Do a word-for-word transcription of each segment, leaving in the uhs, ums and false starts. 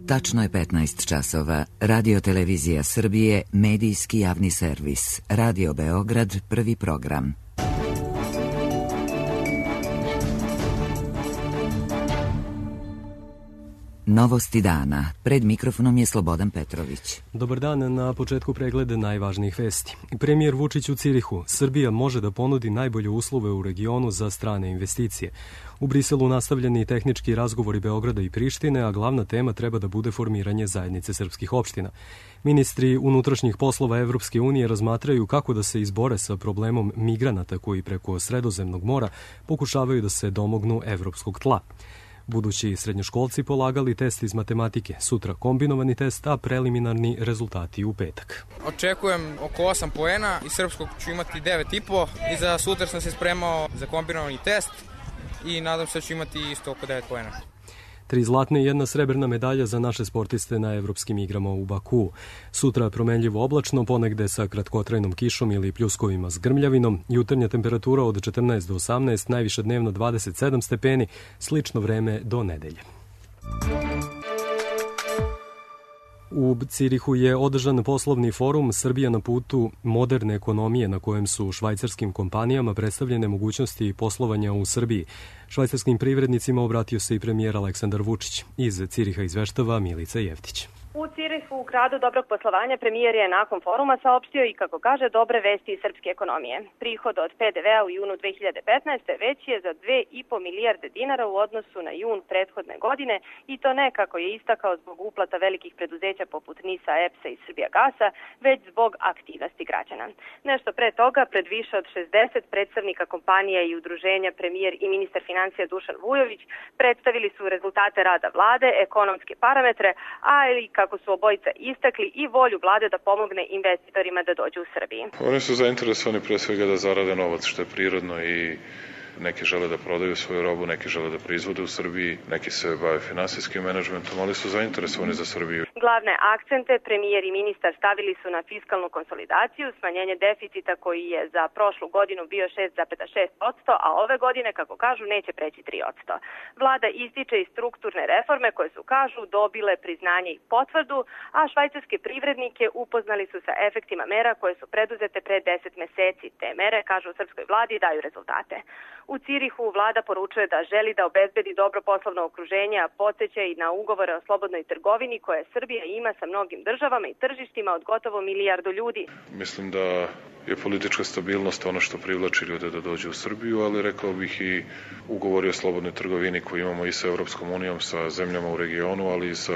Tačno je petnaest časova. Radio Televizija Srbije, medijski javni servis. Radio Beograd, prvi program. Novosti dana. Pred mikrofonom je Slobodan Petrović. Dobar dan, na početku pregleda najvažnijih vesti. Premijer Vučić u Cirihu. Srbija može da ponudi najbolje uslove u regionu za strane investicije. U Briselu nastavljeni tehnički razgovori Beograda i Prištine, a glavna tema treba da bude formiranje zajednice srpskih opština. Ministri unutrašnjih poslova Evropske unije razmatraju kako da se izbore sa problemom migranata koji preko Sredozemnog mora pokušavaju da se domognu evropskog tla. Budući srednjoškolci polagali test iz matematike, sutra kombinovani test, a preliminarni rezultati u petak. Očekujem oko osam poena, iz srpskog ću imati devet i po i za sutra sam se spremao za kombinovani test i nadam se da ću imati isto oko devet poena. Tri zlatne i jedna srebrna medalja za naše sportiste na evropskim igrama u Bakuu. Sutra promenljivo oblačno, ponegde sa kratkotrajnom kišom ili pljuskovima s grmljavinom. Jutarnja temperatura od četrnaest do osamnaest, najviše dnevno dvadeset sedam stepeni, slično vreme do nedelje. U Cirihu je održan poslovni forum Srbija na putu moderne ekonomije, na kojem su švajcarskim kompanijama predstavljene mogućnosti poslovanja u Srbiji. Švajcarskim privrednicima obratio se i premijer Aleksandar Vučić. Iz Ciriha izveštava Milica Jevtić. U Cirihu, u gradu dobrog poslovanja, premijer je nakon foruma saopštio i, kako kaže, dobre vesti iz srpske ekonomije. Prihod od pe de vea u junu dve hiljade petnaeste. veći je za dve i po milijarde dinara u odnosu na jun prethodne godine i to ne, kako je istakao, zbog uplata velikih preduzeća poput NIS-a, E P S-a i Srbijagasa, već zbog aktivnosti građana. Nešto pre toga, pred više od šezdeset predstavnika kompanija i udruženja, premijer i ministar financija Dušan Vujović predstavili su rezultate rada vlade, ekonomske parametre, ali kako su obojica istakli i volju vlade da pomogne investitorima da dođu u Srbiji. Oni su zainteresovani pre svega da zarade novac, što je prirodno, i neki žele da prodaju svoju robu, neki žele da proizvode u Srbiji, neki se bave finansijskim menadžmentom, ali su zainteresovani za Srbiju. Glavne akcente premijer i ministar stavili su na fiskalnu konsolidaciju, smanjenje deficita koji je za prošlu godinu bio šest zarez šest posto, a ove godine, kako kažu, neće preći tri posto. Vlada ističe i strukturne reforme koje su, kažu, dobile priznanje i potvrdu, a švajcarske privrednike upoznali su sa efektima mera koje su preduzete pre deset meseci. Te mere, kažu u srpskoj vladi, daju rezultate. U Cirihu vlada poručuje da želi da obezbedi dobro poslovno okruženje, a podsjeća i na ugovore o slobodnoj trgovini koje Srbija ima sa mnogim državama i tržištima od gotovo milijardu ljudi. Mislim da je politička stabilnost ono što privlači ljude da dođu u Srbiju, ali rekao bih i ugovori o slobodnoj trgovini koji imamo i sa Evropskom unijom, sa zemljama u regionu, ali i sa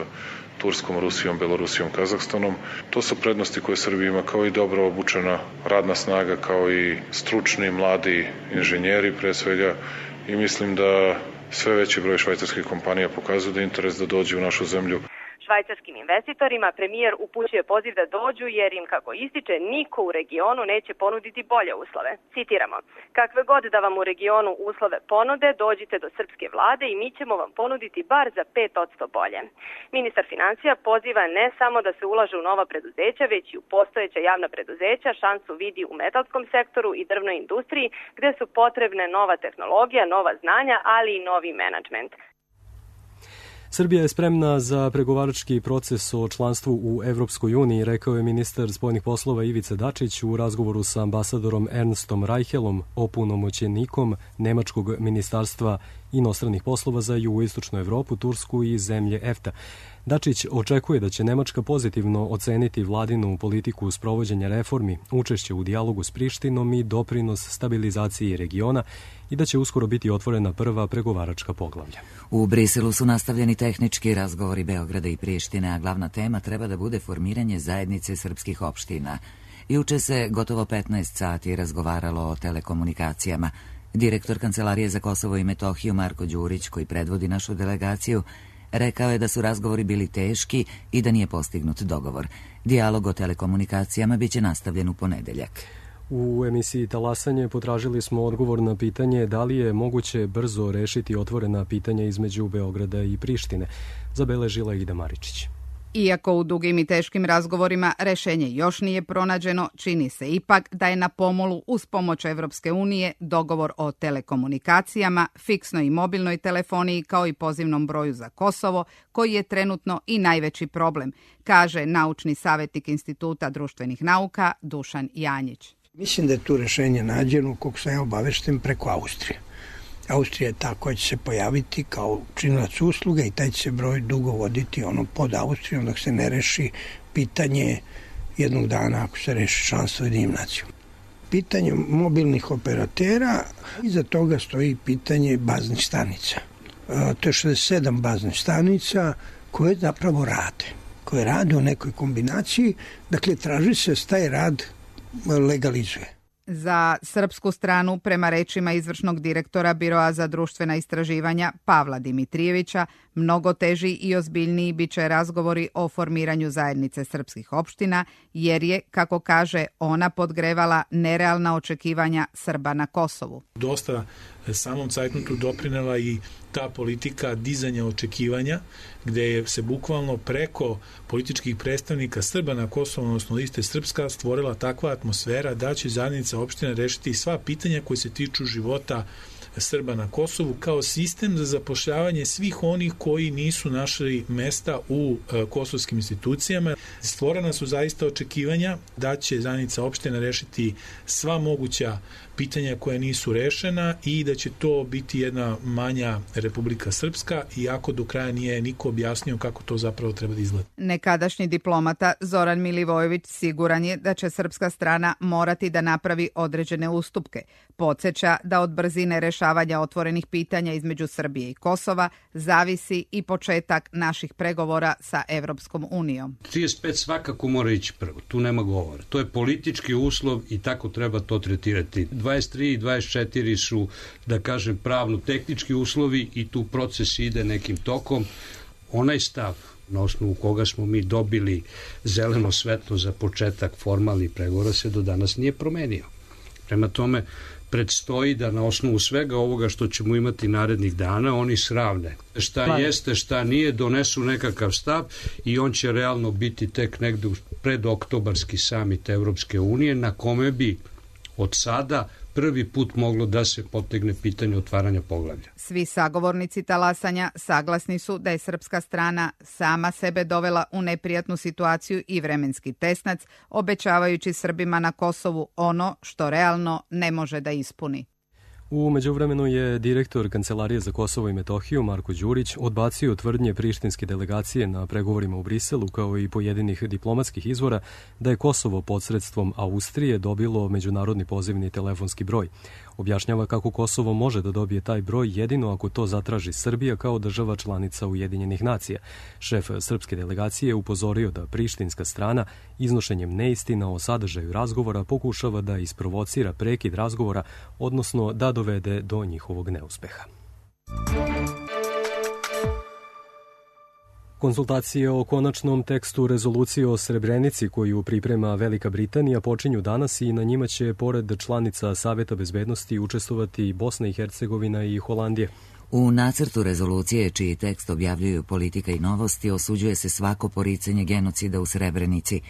Turskom, Rusijom, Belorusijom, Kazahstanom. To su prednosti koje Srbija ima, kao i dobro obučena radna snaga, kao i stručni, mladi inženjeri pre svega, i mislim da sve veći broj švajcarskih kompanija pokazuju da je interes da dođu u našu zemlju. Švajcarskim investitorima premijer upućuje poziv da dođu jer im, kako ističe, niko u regionu neće ponuditi bolje uslove. Citiramo: kakve god da vam u regionu uslove ponude, dođite do srpske vlade i mi ćemo vam ponuditi bar za pet posto bolje. Ministar financija poziva ne samo da se ulaže u nova preduzeća, već i u postojeća javna preduzeća. Šansu vidi u metalskom sektoru i drvnoj industriji, gde su potrebne nova tehnologija, nova znanja, ali i novi menadžment. Srbija je spremna za pregovarački proces o članstvu u Evropskoj uniji, rekao je ministar spoljnih poslova Ivica Dačić u razgovoru sa ambasadorom Ernstom Reichelom, opunomoćenikom Nemačkog ministarstva inostranih poslova za jugoistočnu Evropu, Tursku i zemlje E F T A. Dačić očekuje da će Nemačka pozitivno oceniti vladinu politiku sprovođenja reformi, učešće u dijalogu s Prištinom i doprinos stabilizaciji regiona i da će uskoro biti otvorena prva pregovaračka poglavlja. U Briselu su nastavljeni tehnički razgovori Beograda i Prištine, a glavna tema treba da bude formiranje zajednice srpskih opština. Juče se gotovo petnaest sati razgovaralo o telekomunikacijama. Direktor Kancelarije za Kosovo i Metohiju Marko Đurić, koji predvodi našu delegaciju, rekao je da su razgovori bili teški i da nije postignut dogovor. Dijalog o telekomunikacijama biće nastavljen u ponedeljak. U emisiji Talasanje potražili smo odgovor na pitanje da li je moguće brzo rešiti otvorena pitanja između Beograda i Prištine. Zabeležila Ida Maričić. Iako u dugim i teškim razgovorima rešenje još nije pronađeno, čini se ipak da je na pomolu uz pomoć Evropske unije dogovor o telekomunikacijama, fiksnoj i mobilnoj telefoniji kao i pozivnom broju za Kosovo, koji je trenutno i najveći problem, kaže naučni savjetnik Instituta društvenih nauka Dušan Janjić. Mislim da je tu rešenje nađeno, koliko sam ja obavešten, preko Austrije. Austrija je ta koja će se pojaviti kao činilac usluga i taj će se broj dugo voditi ono pod Austrijom dok se ne reši pitanje jednog dana ako se reši članstvo Ujedinjenim nacijama. Pitanje mobilnih operatera, iza toga stoji pitanje baznih stanica. E, to je šezdeset sedam baznih stanica koje zapravo rade, koje rade u nekoj kombinaciji, dakle traži se da taj rad legalizuje. Za srpsku stranu, prema rečima izvršnog direktora Biroa za društvena istraživanja Pavla Dimitrijevića, mnogo teži i ozbiljniji biće razgovori o formiranju zajednice srpskih opština, jer je, kako kaže, ona podgrevala nerealna očekivanja Srba na Kosovu. Dosta samom cajtnotu doprinela i ta politika dizanja očekivanja, gde je se bukvalno preko političkih predstavnika Srba na Kosovu, odnosno liste Srpska, stvorila takva atmosfera da će zajednica opština rešiti sva pitanja koje se tiču života Srba na Kosovu kao sistem za zapošljavanje svih onih koji nisu našli mesta u e, kosovskim institucijama. Stvorena su zaista očekivanja da će zajednica opština rešiti sva moguća pitanja koja nisu rešena i da će to biti jedna manja Republika Srpska, iako do kraja nije niko objasnio kako to zapravo treba da izgleda. Nekadašnji diplomata Zoran Milivojević siguran je da će srpska strana morati da napravi određene ustupke. Podsjeća da od brzine rešavanja otvorenih pitanja između Srbije i Kosova zavisi i početak naših pregovora sa Evropskom unijom. trideset pet svakako mora ići prvo, tu nema govora. To je politički uslov i tako treba to tretirati. dvadeset tri i dvadeset četiri su, da kažem, pravno-tehnički uslovi i tu proces ide nekim tokom. Onaj stav na osnovu koga smo mi dobili zeleno svetlo za početak formalnih pregovora se do danas nije promenio. Prema tome, predstoji da na osnovu svega ovoga što ćemo imati narednih dana, oni sravne šta pa jeste, šta nije, donesu nekakav stav i on će realno biti tek negde pred oktobarski samit Evropske unije, na kome bi od sada prvi put moglo da se potegne pitanje otvaranja poglavlja. Svi sagovornici talasanja saglasni su da je srpska strana sama sebe dovela u neprijatnu situaciju i vremenski tesnac, obećavajući Srbima na Kosovu ono što realno ne može da ispuni. U međuvremenu je direktor Kancelarije za Kosovo i Metohiju Marko Đurić odbacio tvrdnje prištinske delegacije na pregovorima u Briselu kao i pojedinih diplomatskih izvora da je Kosovo pod sredstvom Austrije dobilo međunarodni pozivni telefonski broj. Objašnjava kako Kosovo može da dobije taj broj jedino ako to zatraži Srbija kao država članica Ujedinjenih nacija. Šef srpske delegacije je upozorio da prištinska strana iznošenjem neistina o sadržaju razgovora pokušava da isprovocira prekid razgovora, odnosno da dovede do njihovog neuspeha. Konsultacije o konačnom tekstu rezolucije o Srebrenici koju priprema Velika Britanija počinju danas i na njima će pored članica Saveta bezbednosti učestvovati Bosna i Hercegovina i Holandija. U nacrtu rezolucije, čiji tekst objavljuju Politika i Novosti, osuđuje se svako poricanje genocida u Srebrenici,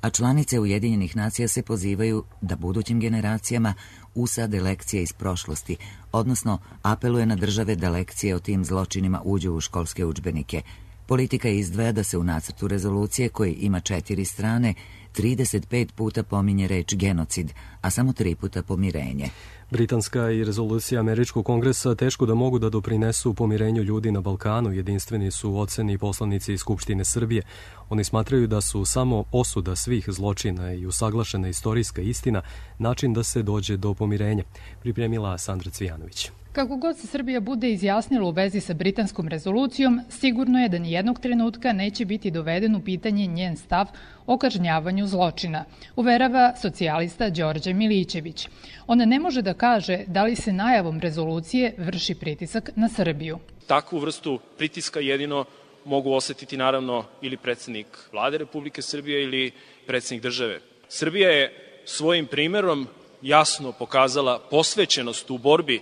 a članice Ujedinjenih nacija se pozivaju da budućim generacijama usade lekcije iz prošlosti, odnosno apeluje na države da lekcije o tim zločinima uđu u školske udžbenike. Politika izdvaja da se u nacrtu rezolucije, koji ima četiri strane, trideset pet puta pominje reč genocid, a samo tri puta pomirenje. Britanska i rezolucija Američkog kongresa teško da mogu da doprinesu pomirenju ljudi na Balkanu, jedinstveni su oceni poslanici Skupštine Srbije. Oni smatraju da su samo osuda svih zločina i usaglašena istorijska istina način da se dođe do pomirenja, pripremila Sandra Cvijanović. Kako god se Srbija bude izjasnila u vezi sa britanskom rezolucijom, sigurno je da nijednog trenutka neće biti doveden u pitanje njen stav o kažnjavanju zločina, uverava socijalista Đorđe Milićević. Ona ne može da kaže da li se najavom rezolucije vrši pritisak na Srbiju. Takvu vrstu pritiska jedino mogu osetiti naravno ili predsednik Vlade Republike Srbije ili predsednik države. Srbija je svojim primerom jasno pokazala posvećenost u borbi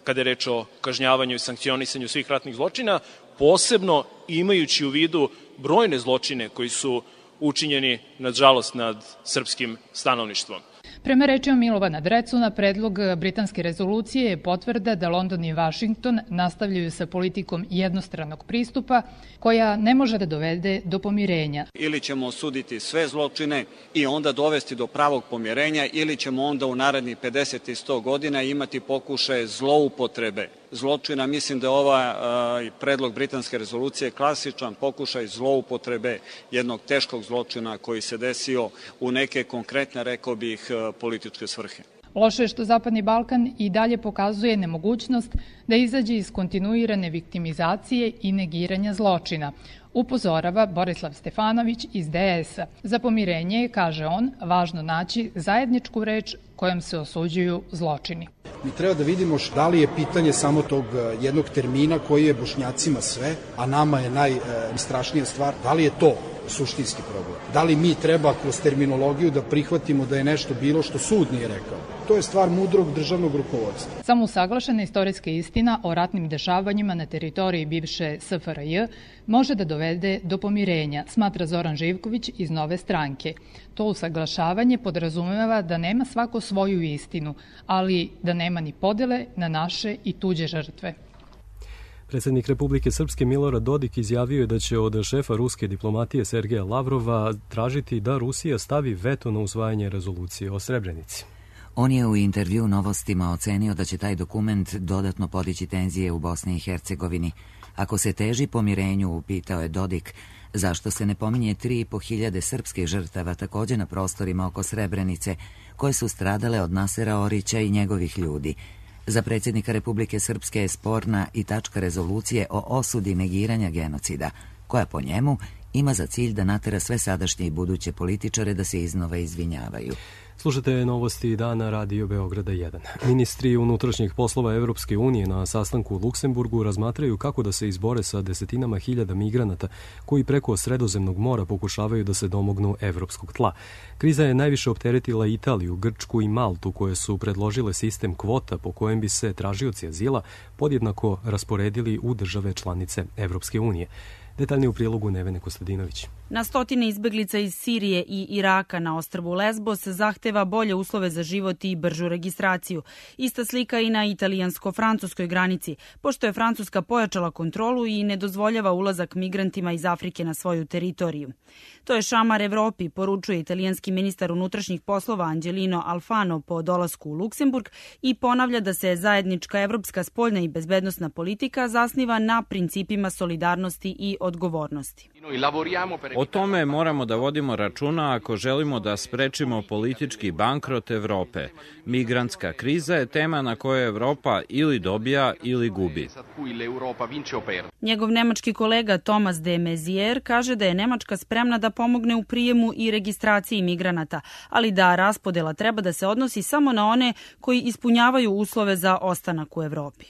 kada je reč o kažnjavanju i sankcionisanju svih ratnih zločina, posebno imajući u vidu brojne zločine koji su učinjeni, nažalost, nad srpskim stanovništvom. Prema rečima Milovana Drecuna, predlog britanske rezolucije je potvrda da London i Vašington nastavljaju sa politikom jednostranog pristupa koja ne može da dovede do pomirenja. Ili ćemo osuditi sve zločine i onda dovesti do pravog pomirenja, ili ćemo onda u narednih pedeset i sto godina imati pokušaje zloupotrebe zločina. Mislim da je ovaj predlog britanske rezolucije klasičan pokušaj zloupotrebe jednog teškog zločina koji se desio u neke konkretne, rekao bih, političke svrhe. Loše je što Zapadni Balkan i dalje pokazuje nemogućnost da izađe iz kontinuirane viktimizacije i negiranja zločina, upozorava Borislav Stefanović iz D S-a. Za pomirenje je, kaže on, važno naći zajedničku reč kojom se osuđuju zločini. Mi treba da vidimo da li je pitanje samo tog jednog termina koji je Bošnjacima sve, a nama je najstrašnija stvar, da li je to suštinski problem. Da li mi treba kroz terminologiju da prihvatimo da je nešto bilo što sud nije rekao. To je stvar mudrog državnog rukovodstva. Samo usaglašena istorijska istina o ratnim dešavanjima na teritoriji bivše S F R J može da dovede do pomirenja, smatra Zoran Živković iz Nove stranke. To usaglašavanje podrazumeva da nema svako svoju istinu, ali da nema ni podele na naše i tuđe žrtve. Predsjednik Republike Srpske Milorad Dodik izjavio je da će od šefa ruske diplomatije Sergeja Lavrova tražiti da Rusija stavi veto na usvajanje rezolucije o Srebrenici. On je u intervju Novostima ocenio da će taj dokument dodatno podići tenzije u Bosni i Hercegovini. Ako se teži pomirenju, upitao je Dodik, zašto se ne pominje tri i po hiljade srpskih žrtava također na prostorima oko Srebrenice, koje su stradale od Nasera Orića i njegovih ljudi. Za predsjednika Republike Srpske je sporna i tačka rezolucije o osudi negiranja genocida, koja po njemu ima za cilj da natera sve sadašnje i buduće političare da se iznova izvinjavaju. Slušate novosti dana Radio Beograda jedan. Ministri unutrašnjih poslova Evropske unije na sastanku u Luksemburgu razmatraju kako da se izbore sa desetinama hiljada migranata koji preko Sredozemnog mora pokušavaju da se domognu evropskog tla. Kriza je najviše opteretila Italiju, Grčku i Maltu, koje su predložile sistem kvota po kojem bi se tražioci azila podjednako rasporedili u države članice Evropske unije. Detaljnije u prilogu Nevene Kostadinović. Na stotine izbeglica iz Sirije i Iraka na ostrvu Lesbos zahteva bolje uslove za život i bržu registraciju. Ista slika i na italijansko-francuskoj granici, pošto je Francuska pojačala kontrolu i ne dozvoljava ulazak migrantima iz Afrike na svoju teritoriju. To je šamar Evropi, poručuje italijanski ministar unutrašnjih poslova Angelino Alfano po dolasku u Luksemburg i ponavlja da se zajednička evropska spoljna i bezbednosna politika zasniva na principima solidarnosti i odgovornosti. O tome moramo da vodimo računa ako želimo da sprečimo politički bankrot Evrope. Migrantska kriza je tema na kojoj Evropa ili dobija ili gubi. Njegov nemački kolega Thomas de Maizière kaže da je Nemačka spremna da pomogne u prijemu i registraciji migranata, ali da raspodela treba da se odnosi samo na one koji ispunjavaju uslove za ostanak u Evropi.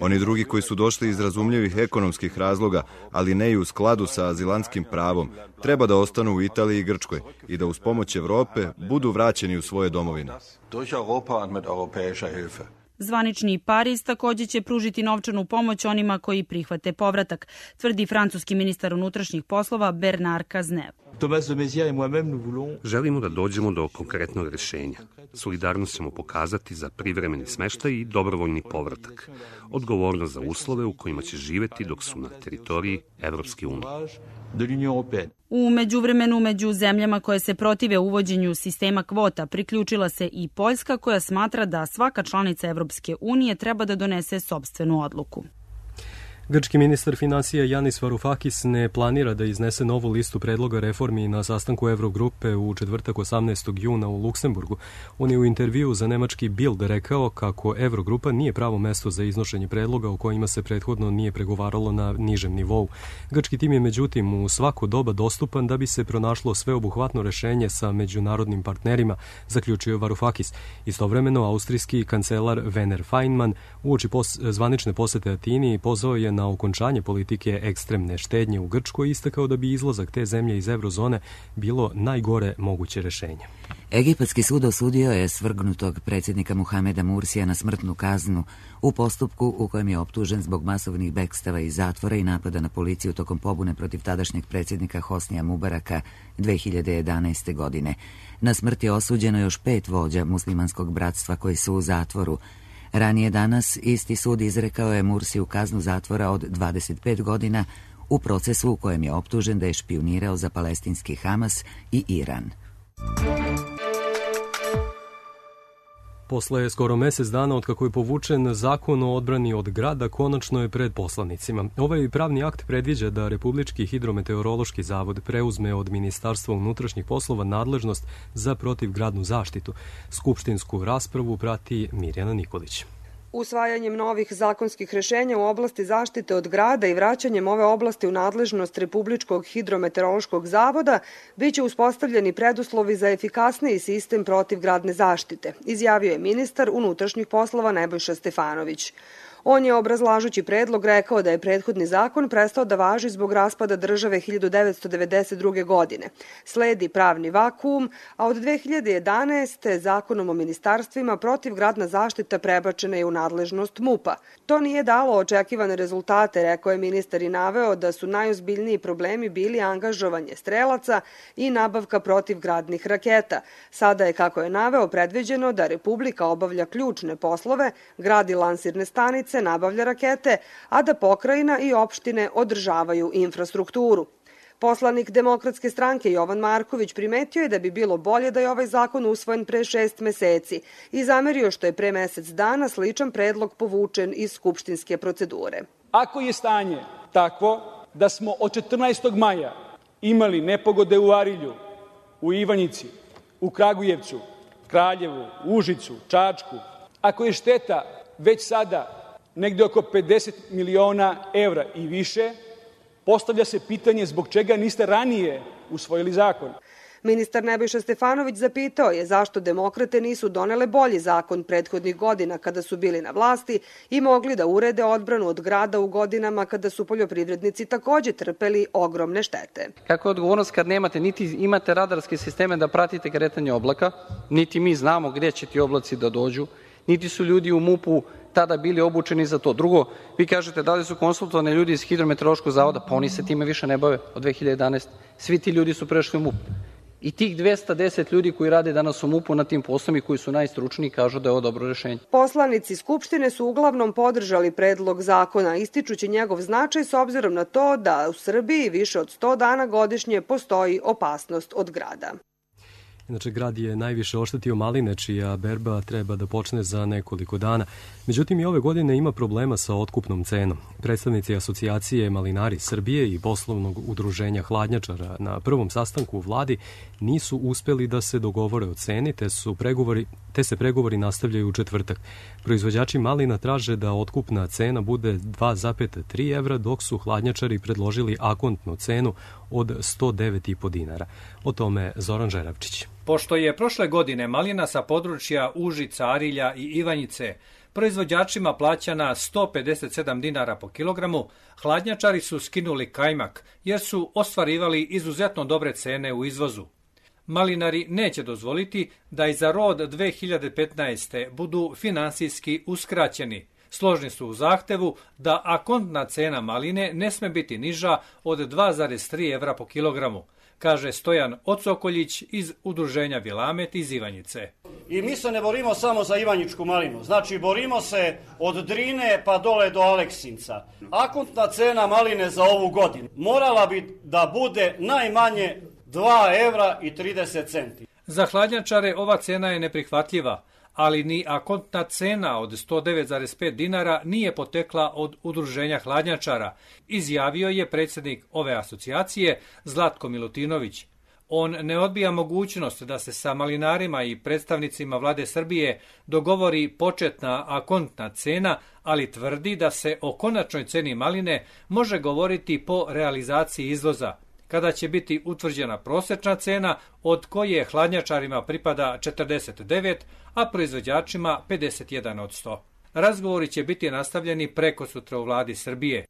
Oni drugi koji su došli iz razumljivih ekonomskih razloga, ali ne i u skladu sa azilantskim pravom, treba da ostanu u Italiji i Grčkoj i da uz pomoć Evrope budu vraćeni u svoje domovine. Zvanični Pariz također će pružiti novčanu pomoć onima koji prihvate povratak, tvrdi francuski ministar unutrašnjih poslova Bernard Cazeneuve. Želimo da dođemo do konkretnog rješenja. Solidarnost ćemo pokazati za privremeni smeštaj i dobrovoljni povratak. Odgovornost za uslove u kojima će živjeti dok su na teritoriji Evropske unije. U međuvremenu među zemljama koje se protive uvođenju sistema kvota priključila se i Poljska, koja smatra da svaka članica Evropske unije treba da donese sopstvenu odluku. Grčki ministar finansija Yanis Varoufakis ne planira da iznese novu listu predloga reformi na sastanku Evrogrupe u četvrtak osamnaestog juna u Luksemburgu. On je u intervju za nemački Bild rekao kako Evrogrupa nije pravo mesto za iznošenje predloga o kojima se prethodno nije pregovaralo na nižem nivou. Grčki tim je međutim u svako doba dostupan da bi se pronašlo sveobuhvatno rešenje sa međunarodnim partnerima, zaključio Varoufakis. Istovremeno, austrijski kancelar Werner Faymann uoči pos- zvanične posete Atini pozvao je na na okončanje politike ekstremne štednje u Grčkoj i istakao da bi izlazak te zemlje iz eurozone bilo najgore moguće rešenje. Egipatski sud osudio je svrgnutog predsjednika Muhameda Mursija na smrtnu kaznu u postupku u kojem je optužen zbog masovnih bekstava iz zatvora i napada na policiju tokom pobune protiv tadašnjeg predsjednika Hosnija Mubaraka dve hiljade jedanaeste. godine. Na smrt je osuđeno još pet vođa muslimanskog bratstva koji su u zatvoru. Ranije danas isti sud izrekao je Mursiju kaznu zatvora od dvadeset pet godina u procesu u kojem je optužen da je špijunirao za palestinski Hamas i Iran. Posle skoro mesec dana od kako je povučen zakon o odbrani od grada, konačno je pred poslanicima. Ovaj pravni akt predviđa da Republički hidrometeorološki zavod preuzme od Ministarstva unutrašnjih poslova nadležnost za protivgradnu zaštitu. Skupštinsku raspravu prati Mirjana Nikolić. Usvajanjem novih zakonskih rešenja u oblasti zaštite od grada i vraćanjem ove oblasti u nadležnost Republičkog hidrometeorološkog zavoda biće uspostavljeni preduslovi za efikasniji sistem protivgradne zaštite, izjavio je ministar unutrašnjih poslova Nebojša Stefanović. On je, obrazlažući predlog, rekao da je prethodni zakon prestao da važi zbog raspada države hiljadu devetsto devedeset druge. godine. Sledi pravni vakuum, a od dve hiljade jedanaeste. zakonom o ministarstvima protivgradna zaštita prebačena je u nadležnost MUP-a. To nije dalo očekivane rezultate, rekao je ministar i naveo da su najozbiljniji problemi bili angažovanje strelaca i nabavka protivgradnih raketa. Sada je, kako je naveo, predviđeno da Republika obavlja ključne poslove, gradi lansirne stanice, nabavlja rakete, a da pokrajina i opštine održavaju infrastrukturu. Poslanik Demokratske stranke Jovan Marković primetio je da bi bilo bolje da je ovaj zakon usvojen pre šest meseci i zamerio što je pre mesec dana sličan predlog povučen iz skupštinske procedure. Ako je stanje takvo da smo od četrnaestog maja imali nepogode u Arilju, u Ivanjici, u Kragujevcu, Kraljevu, Užicu, Čačku, ako je šteta već sada negde oko pedeset miliona evra i više, postavlja se pitanje zbog čega niste ranije usvojili zakon. Ministar Nebojša Stefanović zapitao je zašto demokrate nisu donele bolji zakon prethodnih godina kada su bili na vlasti i mogli da urede odbranu od grada u godinama kada su poljoprivrednici takođe trpeli ogromne štete. Kako je odgovornost kad nemate, niti imate radarske sisteme da pratite kretanje oblaka, niti mi znamo gde će ti oblaci da dođu, niti su ljudi u MUP-u tada bili obučeni za to. Drugo, vi kažete da li su konsultovani ljudi iz Hidrometeorološkog zavoda, pa oni se time više ne bave od dve hiljade jedanaeste. Svi ti ljudi su prešli u MUP. I tih dvesta deset ljudi koji rade danas u MUP-u na tim poslom i koji su najstručniji kažu da je ovo dobro rešenje. Poslanici Skupštine su uglavnom podržali predlog zakona, ističući njegov značaj s obzirom na to da u Srbiji više od sto dana godišnje postoji opasnost od grada. Inače, grad je najviše oštetio maline, čija berba treba da počne za nekoliko dana. Međutim, i ove godine ima problema sa otkupnom cenom. Predstavnici asocijacije Malinari Srbije i poslovnog udruženja hladnjačara na prvom sastanku u vladi nisu uspeli da se dogovore o ceni, te, su pregovori, te se pregovori nastavljaju u četvrtak. Proizvođači malina traže da otkupna cena bude dva zarez tri evra, dok su hladnjačari predložili akontnu cenu od sto devet i po dinara. O tome Zoran Žeravčić. Pošto je prošle godine malina sa područja Užica, Arilja i Ivanjice proizvođačima plaćana sto pedeset sedam dinara po kilogramu, hladnjačari su skinuli kajmak jer su ostvarivali izuzetno dobre cene u izvozu. Malinari neće dozvoliti da i za rod dve hiljade petnaeste. budu finansijski uskraćeni. Složni su u zahtevu da akontna cena maline ne sme biti niža od dva zarez tri evra po kilogramu, kaže Stojan Ocokoljić iz udruženja Vilamet iz Ivanjice. I mi se ne borimo samo za ivanjičku malinu, znači borimo se od Drine pa dole do Aleksinca. Akontna cena maline za ovu godinu morala bi da bude najmanje dva evra i trideset centi. Za hladnjačare ova cena je neprihvatljiva, ali ni akontna cena od sto devet zarez pet dinara nije potekla od udruženja hladnjačara, izjavio je predsjednik ove asocijacije Zlatko Milutinović. On ne odbija mogućnost da se sa malinarima i predstavnicima vlade Srbije dogovori početna akontna cena, ali tvrdi da se o konačnoj ceni maline može govoriti po realizaciji izvoza, kada će biti utvrđena prosečna cena od koje hladnjačarima pripada četrdeset devet, a proizvođačima pedeset jedan od sto. Razgovori će biti nastavljeni preko sutra u vladi Srbije.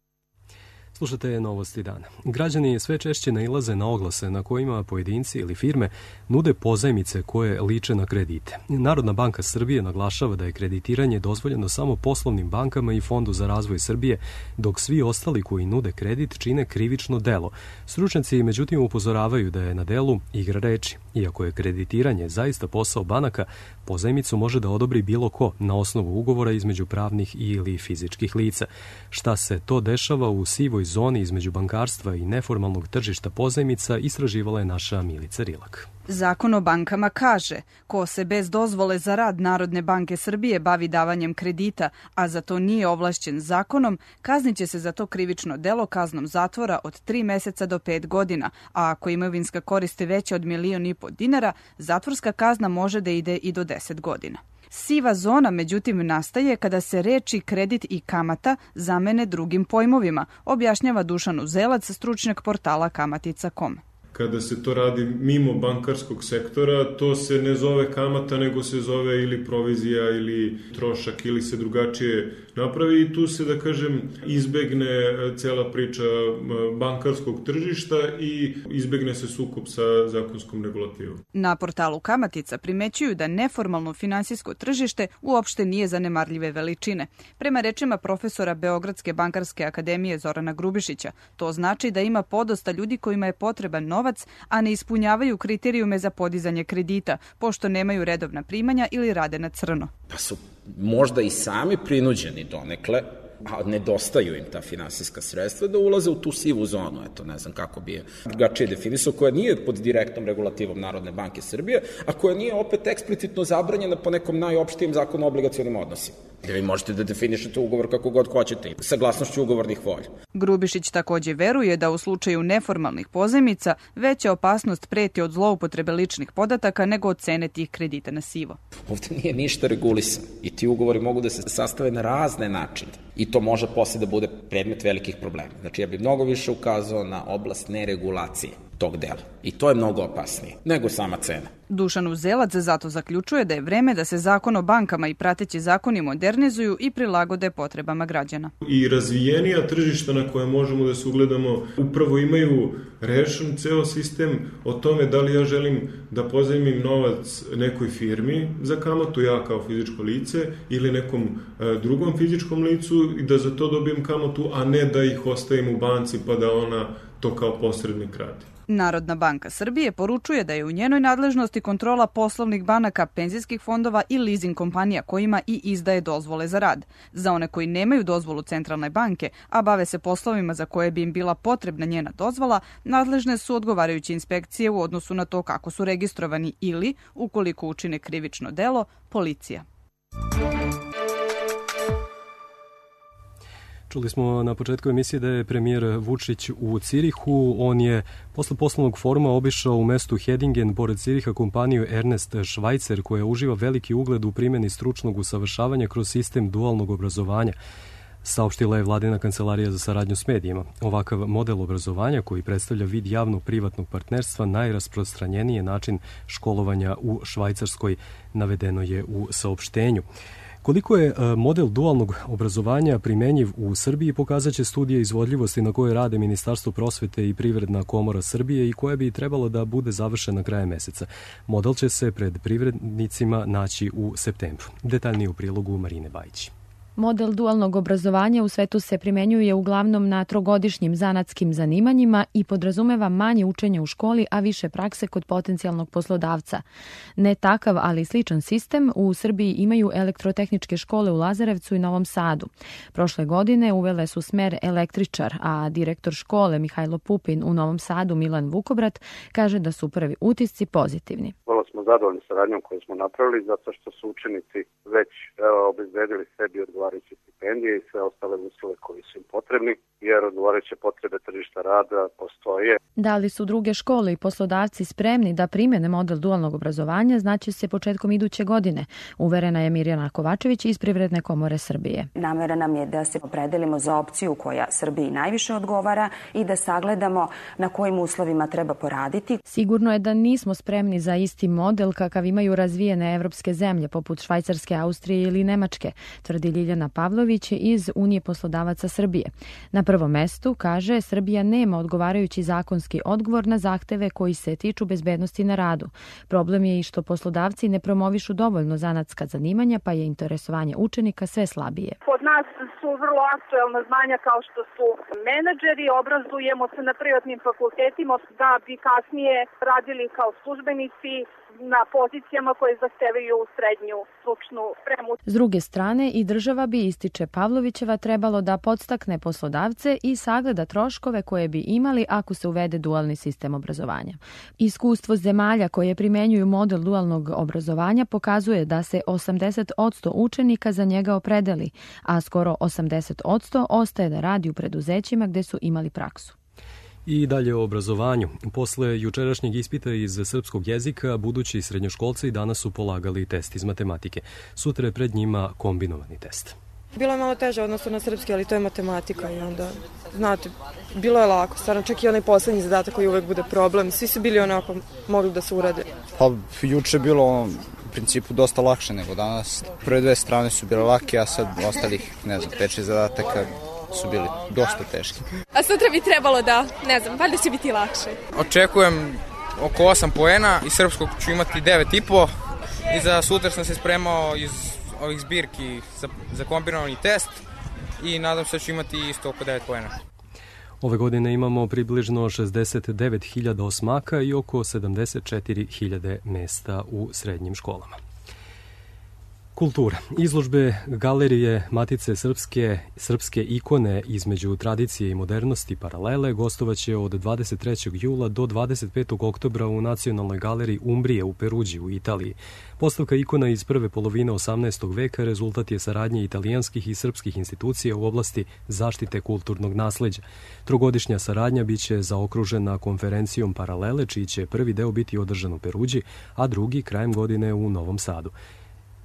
Slušate Novosti dana. Građani sve češće nailaze na oglase na kojima pojedinci ili firme nude pozajmice koje liče na kredite. Narodna banka Srbije naglašava da je kreditiranje dozvoljeno samo poslovnim bankama i Fondu za razvoj Srbije, dok svi ostali koji nude kredit čine krivično delo. Stručnjaci međutim upozoravaju da je na delu igra reči. Iako je kreditiranje zaista posao banaka, pozajmicu može da odobri bilo ko na osnovu ugovora između pravnih ili fizičkih lica. Šta se to dešava u sivoj zoni između bankarstva i neformalnog tržišta pozajmica istraživala je naša Milica Rilak. Zakon o bankama kaže, ko se bez dozvole za rad Narodne banke Srbije bavi davanjem kredita, a za to nije ovlašćen zakonom, kazniće se za to krivično delo kaznom zatvora od tri meseca do pet godina, a ako imovinska korist je veća od milion i po dinara, zatvorska kazna može da ide i do deset godina. Siva zona, međutim, nastaje kada se reči kredit i kamata zamene drugim pojmovima, objašnjava Dušan Uzelac, stručnjak portala kamatica tačka com. Kada se to radi mimo bankarskog sektora, to se ne zove kamata, nego se zove ili provizija ili trošak ili se drugačije napravi i tu se, da kažem, izbegne cela priča bankarskog tržišta i izbegne se sukob sa zakonskom regulativom. Na portalu Kamatica primećuju da neformalno finansijsko tržište uopšte nije zanemarljive veličine. Prema rečima profesora Beogradske bankarske akademije Zorana Grubišića, to znači da ima podosta ljudi kojima je potreban novac, a ne ispunjavaju kriterijume za podizanje kredita, pošto nemaju redovna primanja ili rade na crno. Pa su možda i sami prinuđeni donekle, a nedostaju im ta finansijska sredstva, da ulaze u tu sivu zonu, eto, ne znam kako bi je drugačije definisao, koja nije pod direktnom regulativom Narodne banke Srbije, a koja nije opet eksplicitno zabranjena po nekom najopštijem zakonu o obligacionim odnosima. Gde vi možete da definišete ugovor kako god hoćete, saglasnošću ugovornih volja. Grubišić takođe veruje da u slučaju neformalnih pozajmica veća opasnost preti od zloupotrebe ličnih podataka nego od cene tih kredita na sivo. Ovde nije ništa regulisano i ti ugovori mogu da se sastave na razne načine i to može posle da bude predmet velikih problema. Znači ja bih mnogo više ukazao na oblast neregulacije tog dela. I to je mnogo opasnije nego sama cena. Dušan Uzelac zato zaključuje da je vreme da se zakon o bankama i prateći zakoni modernizuju i prilagode potrebama građana. I razvijenija tržišta na koje možemo da se ugledamo upravo imaju rešen ceo sistem o tome da li ja želim da pozajmim novac nekoj firmi za kamatu, ja kao fizičko lice, ili nekom e, drugom fizičkom licu i da za to dobijem kamatu, a ne da ih ostavim u banci pa da ona to kao posrednik radi. Narodna banka Srbije poručuje da je u njenoj nadležnosti kontrola poslovnih banaka, penzijskih fondova i leasing kompanija kojima i izdaje dozvole za rad. Za one koji nemaju dozvolu Centralne banke, a bave se poslovima za koje bi im bila potrebna njena dozvola, nadležne su odgovarajuće inspekcije u odnosu na to kako su registrovani ili, ukoliko učine krivično delo, policija. Čuli smo na početku emisije da je premijer Vučić u Cirihu. On je posle poslovnog foruma obišao u mestu Hedingen, pored Ciriha, kompaniju Ernest Schweitzer, koja uživa veliki ugled u primjeni stručnog usavršavanja kroz sistem dualnog obrazovanja. Saopštila je Vladina kancelarija za saradnju s medijima. Ovakav model obrazovanja, koji predstavlja vid javno-privatnog partnerstva, najrasprostranjeniji je način školovanja u Švajcarskoj, navedeno je u saopštenju. Koliko je model dualnog obrazovanja primenjiv u Srbiji pokazat će studija izvodljivosti na kojoj rade Ministarstvo prosvete i Privredna komora Srbije i koja bi trebalo da bude završena krajem meseca. Model će se pred privrednicima naći u septembru. Detaljnije u prilogu Marine Bajić. Model dualnog obrazovanja u svetu se primenjuje uglavnom na trogodišnjim zanatskim zanimanjima i podrazumeva manje učenja u školi, a više prakse kod potencijalnog poslodavca. Ne takav, ali sličan sistem u Srbiji imaju elektrotehničke škole u Lazarevcu i Novom Sadu. Prošle godine uvele su smer električar, a direktor škole Mihajlo Pupin u Novom Sadu Milan Vukobrat kaže da su prvi utisci pozitivni. Vrlo smo zadovoljni saradnjom koju smo napravili zato što su učenici već evo, obezbedili sebi odgovarajuće stipendije i sve ostale uslove koji su im potrebni, jer odgovarajuće potrebe tržišta rada postoje. Da li su druge škole i poslodavci spremni da primene model dualnog obrazovanja, znaće se početkom iduće godine, uverena je Mirjana Kovačević iz Privredne komore Srbije. Namera nam je da se opredelimo za opciju koja Srbiji najviše odgovara i da sagledamo na kojim uslovima treba poraditi. Sigurno je da nismo spremni za isti model kakav imaju razvijene evropske zemlje, poput Švajcarske, Austrije ili Nemačke, tvrdi Ljiljana Pavlović iz Unije poslodavaca Srbije. Na prvom mestu, kaže, Srbija nema odgovarajući zakonski odgovor na zahteve koji se tiču bezbednosti na radu. Problem je i što poslodavci ne promovišu dovoljno zanatska zanimanja, pa je interesovanje učenika sve slabije. Kod nas su vrlo aktuelna znanja kao što su menadžeri, obrazujemo se na privatnim fakultetima da bi kasnije radili kao službenici na pozicijama koje zahtevaju srednju stručnu spremu. S druge strane, i država bi, ističe Pavlovićeva, trebalo da podstakne poslodavce i sagleda troškove koje bi imali ako se uvede dualni sistem obrazovanja. Iskustvo zemalja koje primenjuju model dualnog obrazovanja pokazuje da se osamdeset posto učenika za njega opredeli, a skoro osamdeset posto ostaje da radi u preduzećima gde su imali praksu. I dalje o obrazovanju. Posle jučerašnjeg ispita iz srpskog jezika, budući srednjoškolci danas su polagali test iz matematike. Sutra je pred njima kombinovani test. Bilo je malo teže odnosno na srpski, ali to je matematika i onda, znate, bilo je lako. Stvarno, čak i onaj poslednji zadatak koji uvek bude problem. Svi su bili onako, mogli da se urade. Pa, juče je bilo u principu dosta lakše nego danas. Prve dve strane su bile lake, a sad ostalih, ne znam, pet šest zadataka su bili dosta teški. A sutra bi trebalo da, ne znam, valjda će biti lakše. Očekujem oko osam poena, iz srpskog ću imati devet i po i za sutra sam se spremao iz ovih zbirki za, za kombinovani test i nadam se da ću imati isto oko devet poena. Ove godine imamo približno šezdeset devet hiljada osmaka i oko sedamdeset četiri hiljade mesta u srednjim školama. Kultura. Izložbe galerije Matice Srpske, srpske ikone između tradicije i modernosti paralele gostovaće od dvadeset trećeg jula do dvadeset petog oktobra u Nacionalnoj galeriji Umbrije u Peruđi u Italiji. Postavka ikona iz prve polovine osamnaestog veka rezultat je saradnje italijanskih i srpskih institucija u oblasti zaštite kulturnog nasleđa. Trogodišnja saradnja biće zaokružena konferencijom Paralele, čiji će prvi deo biti održan u Peruđi, a drugi krajem godine u Novom Sadu.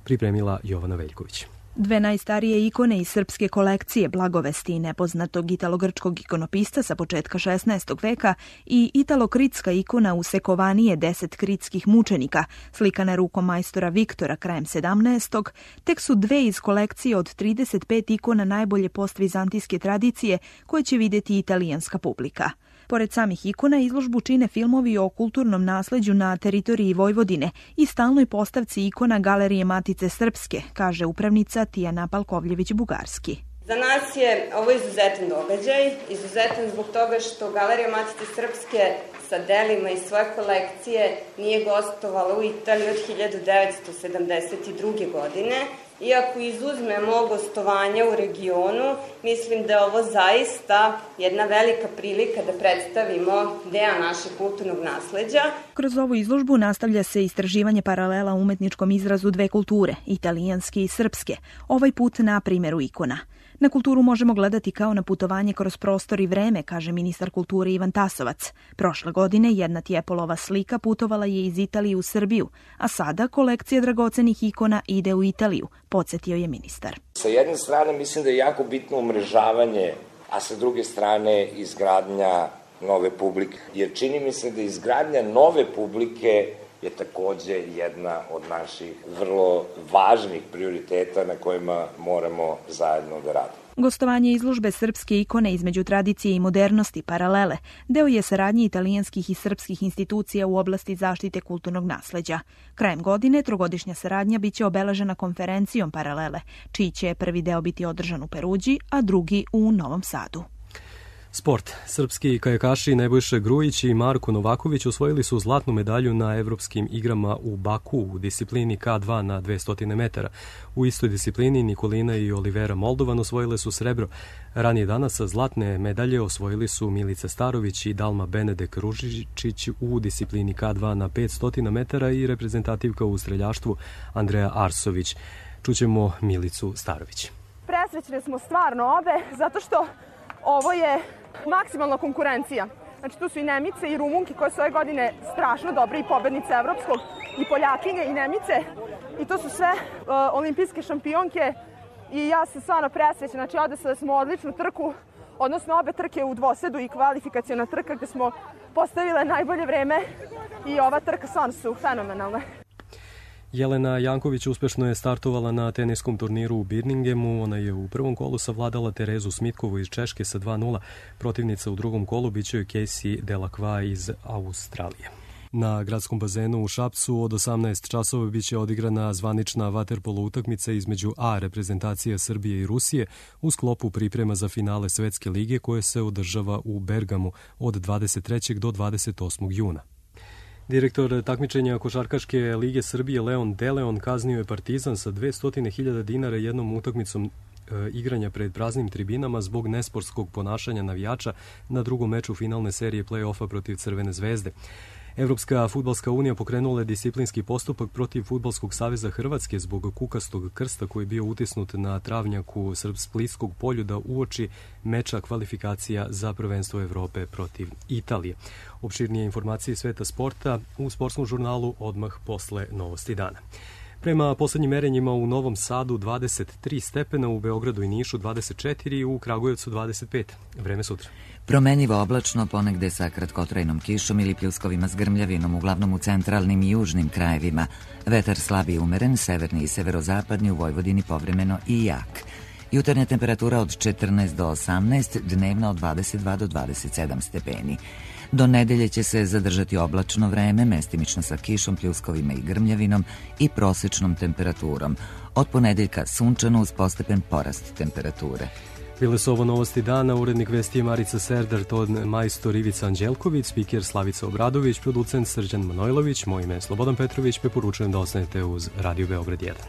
Pripremila Jovana Veljković. Dve najstarije ikone iz srpske kolekcije Blagovesti nepoznatog italogrčkog ikonopista sa početka šesnaestog veka i italokritska ikona usekovanije deset kritskih mučenika, slikana rukom majstora Viktora krajem sedamnaestog, tek su dve iz kolekcije od trideset pet ikona najbolje postvizantijske tradicije koje će vidjeti italijanska publika. Pored samih ikona, izložbu čine filmovi o kulturnom nasleđu na teritoriji Vojvodine i stalnoj postavci ikona Galerije Matice Srpske, kaže upravnica Tijana Palkovljević-Bugarski. Za nas je ovo izuzetan događaj, izuzetan zbog toga što Galerija Matice Srpske sa delima iz svoje kolekcije nije gostovala u Italiji od hiljadu devetsto sedamdeset druge. godine. Iako izuzmemo gostovanja u regionu, mislim da je ovo zaista jedna velika prilika da predstavimo deo našeg kulturnog nasleđa. Kroz ovu izložbu nastavlja se istraživanje paralela u umetničkom izrazu dve kulture, italijanske i srpske, ovaj put na primjeru ikona. Na kulturu možemo gledati kao na putovanje kroz prostor i vreme, kaže ministar kulture Ivan Tasovac. Prošle godine jedna Tjepolova slika putovala je iz Italije u Srbiju, a sada kolekcija dragocenih ikona ide u Italiju, podsjetio je ministar. Sa jedne strane mislim da je jako bitno umrežavanje, a sa druge strane izgradnja nove publike. Jer čini mi se da izgradnja nove publike je takođe jedna od naših vrlo važnih prioriteta na kojima moramo zajedno da radimo. Gostovanje izložbe srpske ikone između tradicije i modernosti paralele deo je saradnje italijanskih i srpskih institucija u oblasti zaštite kulturnog nasleđa. Krajem godine trogodišnja saradnja biće obeležena konferencijom paralele, čiji će prvi deo biti održan u Peruđi, a drugi u Novom Sadu. Sport. Srpski kajakaši Nebojša Grujić i Marko Novaković osvojili su zlatnu medalju na evropskim igrama u Baku u disciplini K dva na dvesta metara. U istoj disciplini Nikolina i Olivera Moldovan osvojile su srebro. Ranije danas zlatne medalje osvojili su Milica Starović i Dalma Benedek Ružičić u disciplini K dva na petsto metara i reprezentativka u streljaštvu Andreja Arsović. Čućemo Milicu Starović. Presrećne smo stvarno obe, zato što ovo je maksimalna konkurencija. Znači tu su i Nemice i Rumunke koje su ove godine strašno dobre i pobednice evropskog, i Poljakinje i Nemice. I to su sve uh, olimpijske šampionke i ja sam stvarno presrećna. Znači ovde smo odličnu trku odnosno obe trke u dvosedu i kvalifikaciona trka gde smo postavile najbolje vreme i ova trka stvarno su fenomenalne. Jelena Janković uspešno je startovala na teniskom turniru u Birminghamu. Ona je u prvom kolu savladala Terezu Smitkovu iz Češke sa dva nula. Protivnica u drugom kolu biće joj Casey Delacroix iz Australije. Na gradskom bazenu u Šapcu od osamnaest časova biće odigrana zvanična vaterpolo utakmica između A reprezentacija Srbije i Rusije u sklopu priprema za finale Svetske lige koje se održava u Bergamu od dvadeset trećeg do dvadeset osmog juna. Direktor takmičenja Košarkaške lige Srbije Leon Deleon kaznio je Partizan sa dvesta hiljada dinara jednom utakmicom e, igranja pred praznim tribinama zbog nesportskog ponašanja navijača na drugom meču finalne serije play-offa protiv Crvene zvezde. Evropska fudbalska unija pokrenula je disciplinski postupak protiv Fudbalskog saveza Hrvatske zbog kukastog krsta koji je bio utisnut na travnjaku Splitskog polju da uoči meča kvalifikacija za prvenstvo Evrope protiv Italije. Opširnije informacije iz sveta sporta u sportskom žurnalu odmah posle novosti dana. Prema poslednjim merenjima u Novom Sadu dvadeset tri stepena, u Beogradu i Nišu dvadeset četiri i u Kragujevcu dvadeset pet. Vreme sutra. Promenljivo oblačno, ponegde sa kratkotrajnom kišom ili pljuskovima s grmljavinom, uglavnom u centralnim i južnim krajevima. Vetar slab i umeren, severni i severozapadni, u Vojvodini povremeno i jak. Jutarnja temperatura od četrnaest do osamnaest, dnevna od dvadeset dva do dvadeset sedam stepeni. Do nedelje će se zadržati oblačno vreme, mestimično sa kišom, pljuskovima i grmljavinom i prosečnom temperaturom. Od ponedeljka sunčano uz postepen porast temperature. Bile su ovo novosti dana, urednik vesti je Marica Serdar, ton majstor Ivica Anđelković, spiker Slavica Obradović, producent Srđan Manojlović, moje ime je Slobodan Petrović, preporučujem da ostanete uz Radio Beograd jedan.